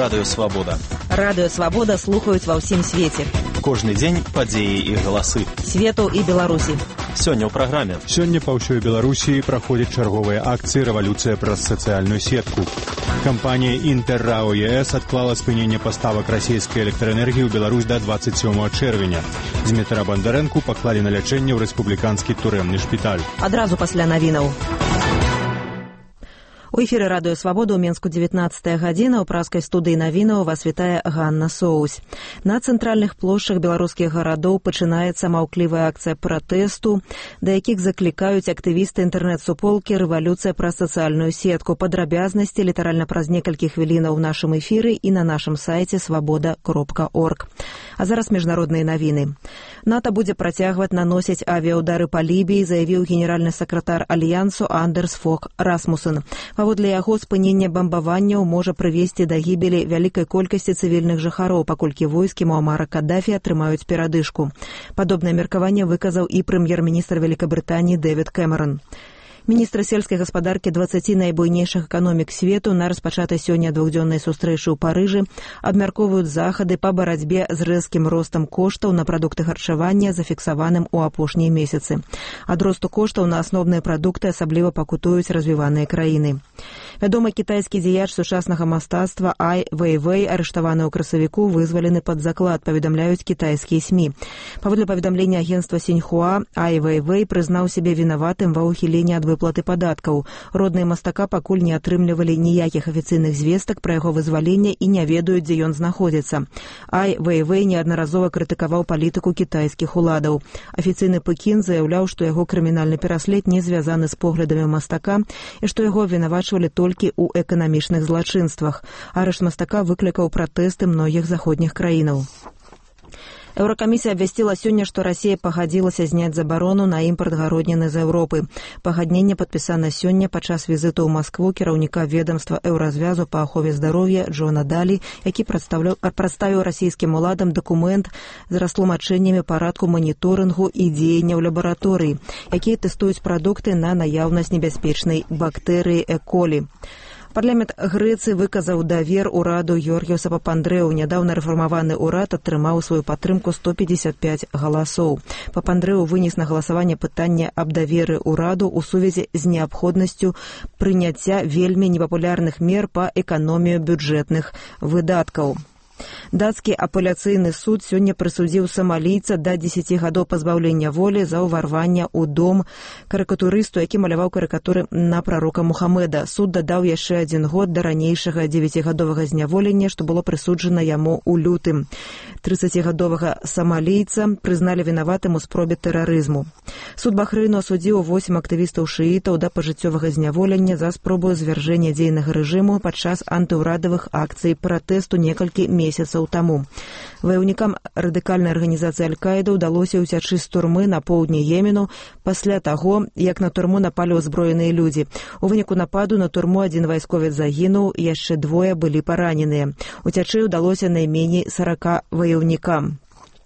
Радыё Свабода. Радыё Свабода слухаюць ва ўсім свеце. Кожны дзень падзеі і галасы Свету і Беларусі. Сёння ў праграме. Сёння па ўсёй Беларусі праходзяць чарговыя акцыі «Рэвалюцыя праз сацыяльную сетку». Кампанія «Інтэррао ЕС» адклала спыненне паставак расійскай электраэнергіі ў Беларусь да 27 чэрвеня. Дзмітра Бандарэнку паклалі на лячэнне ў рэспубліканскі турэмны шпіталь. Адразу пасля навінаў. У эфіры Радыё Свабода ў Менску 19 гадзіна. У праскай студыі навінаў вас вітае Ганна Соусь. На цэнтральных плошчах беларускіх гарадоў пачынаецца маўклівая акцыя пратэсту, да якіх заклікаюць актывісты інтэрнэт-суполкі «Рэвалюцыя праз сацыяльную сетку». Падрабязнасці літаральна праз некалькі хвілінаў ў нашым эфіры і на нашым сайце свабода.орг. А зараз міжнародныя навіны. НАТО будзе працягваць наносіць авіаудары па Лібіі, заявіў генеральны сакратар Альянсу Андерс Фог Расмуссен. Паводле яго, спыненне бамбаванняў можа прывесці да гібелі вялікай колькасці цывільных жыхароў, паколькі войскі Муамара Каддафі атрымаюць перадышку. Падобнае меркаванне выказаў і прэм'ер-міністр Вялікабрытаніі Дэвід Кэмерон. Міністр сельскай гаспадаркі 20 найбуйнейшых эканомік свету на распачатай сёння двухдзённай сустрэчы ў Парыжы абмяркоўваюць захады па барацьбе з рэзкім ростам коштаў на прадукты харчавання, зафіксаваным у апошнія месяцы. Ад росту коштаў на асноўныя прадукты асабліва пакутуюць развіваныя краіны. Вядомы кітайскі дзеяч сучаснага мастацтва Ай Вэйвэй, арыштаваны ў красавіку, вызвалены пад заклад, паведамляюць кітайскія СМІ. Паводле паведамлення агенцтва Сіньхуа, Ай Вэйвэй прызнаў сябе вінаватым ва ўхіленні ад выплаты падаткаў. Родныя мастака пакуль не атрымлівалі ніякіх афіцыйных звестак пра яго вызваленне і не ведаюць, дзе ён знаходзіцца. Ай Вэйвэй неаднаразова крытыкаваў палітыку кітайскіх уладаў. Афіцыйны Пекін заяўляў, што яго крымінальны пераслед не звязаны з поглядамі мастака і што яго абвінавачвалі толькі ў эканамічных злачынствах. Арышт мастака выклікаў пратэсты многіх заходніх краінаў. Еўракамісія абвясціла сёння, што Расія пагадзілася зняць забарону на імпарт гародніны з Еўропы. Пагадненне падпісана сёння падчас візіту ў Маскву кіраўніка ведамства Еўразвязу па ахове здароўя Джона Далі, які прадставіў расійскім уладам дакумент з растлумачэннямі парадку маніторынгу і дзеянняў лабараторыі, якія тэстуюць прадукты на наяўнасць небяспечнай бактэрыі Э-колі. Парламент Грэцыі выказаў давер ураду Георгіуса Папандрэу. Нядаўна рэфармаваны ўрад атрымаў сваю падтрымку 155 галасоў. Папандрэу вынес на галасаванне пытанне аб даверы ўраду ў сувязі з неабходнасцю прыняцця вельмі непапулярных мер па эканомію бюджэтных выдаткаў. Дацкі апеляцыйны суд сёння прысудзіў самалійца да 10 гадоў пазбаўлення волі за ўварванне ў дом карыкатурысту, які маляваў карыкатуры на прарока Мухаммеда. Суд дадаў яшчэ 1 год да ранейшага 9-гадовага зняволення, што было прысуджана яму ў лютым. 30-гадовага самалійца прызналі вінаватым у спробе тэрарызму. Суд Бахрэйну асудзіў 8 актывістаў-шыітаў да пажыццёвага зняволення за спробу звяржэння дзейнага рэжыму падчас антыўрадавых акцый пратэсту некалькі месяцаў таму. Ваяўнікам радыкальнай арганізацыі Аль-Каіда ўдалося ўцячы з турмы на поўдні Йемену пасля таго, як на турму напалі ўзброеныя людзі. У выніку нападу на турму 1 вайсковец загінуў, яшчэ 2 былі параненыя. Уцячы ўдалося найменей 40 ваяўнікам.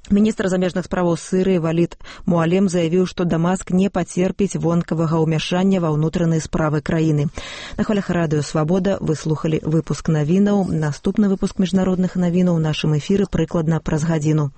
Міністр замежных справаў Сірыі Валід Муалем заявіў, што Дамаск не пацерпіць вонкавага ўмяшання ва ўнутраныя справы краіны. На хвалях Радыё Свабода вы слухалі выпуск навінаў. Наступны выпуск міжнародных навінаў у нашым эфіры прыкладна праз гадзіну.